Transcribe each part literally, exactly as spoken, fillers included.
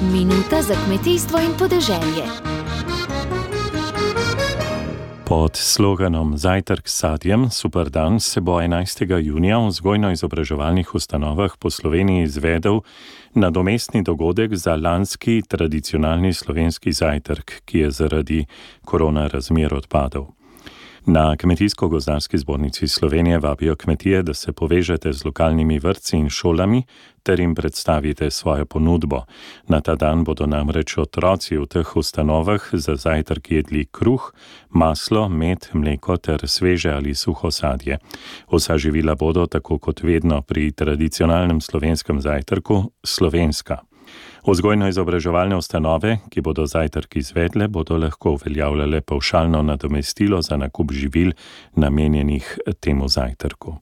Minuta za kmetijstvo in podeželje. Pod sloganom Zajtrk s sadjem, super dan se bo enajstega junija v vzgojno-izobraževalnih ustanovah po Sloveniji izvedel nadomestni dogodek za lanski tradicionalni slovenski zajtrk, ki je zaradi korona razmer odpadel. Na Kmetijsko-gozdarski zbornici Slovenije vabijo kmetije, da se povežete z lokalnimi vrtci in šolami ter jim predstavite svojo ponudbo. Na ta dan bodo namreč otroci v teh ustanovah za zajtrk jedli kruh, maslo, med, mleko ter sveže ali suho sadje. Vsa živila bodo, tako kot vedno pri tradicionalnem slovenskem zajtrku, slovenska. Vzgojno-izobraževalne ustanove, ki bodo zajtrk izvedle, bodo lahko uveljavljale pavšalno nadomestilo za nakup živil namenjenih temu zajtrku.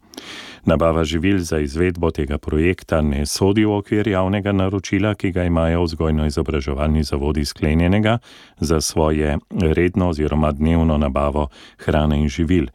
Nabava živil za izvedbo tega projekta ne sodi v okvir javnega naročila, ki ga imajo vzgojno-izobraževalni zavodi sklenjenega za svoje redno oziroma dnevno nabavo hrane in živil.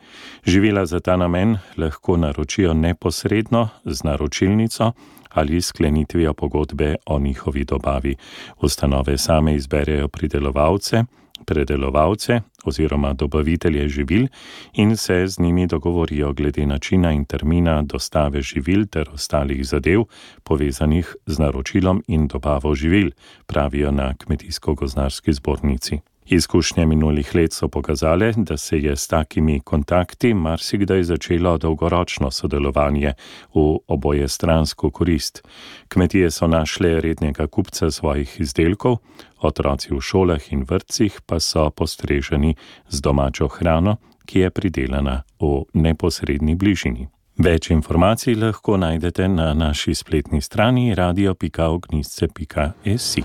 Živila za ta namen lahko naročijo neposredno z naročilnico ali sklenitvijo pogodbe o njihovi dobavi. Ustanove same izberejo pridelovalce, predelovalce oziroma dobavitelje živil in se z njimi dogovorijo glede načina in termina dostave živil ter ostalih zadev povezanih z naročilom in dobavo živil, pravijo na Kmetijsko-gozdarski zbornici. Izkušnje minulih let so pokazale, da se je s takimi kontakti marsikdaj začelo dolgoročno sodelovanje v obojestransko korist. Kmetije so našle rednega kupca svojih izdelkov, otroci v šolah in vrtcih pa so postreženi z domačo hrano, ki je pridelana v neposredni bližini. Več informacij lahko najdete na naši spletni strani radio pika ognjišče pika si.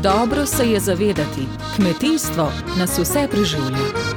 Dobro se je zavedati, kmetijstvo nas vse preživlja.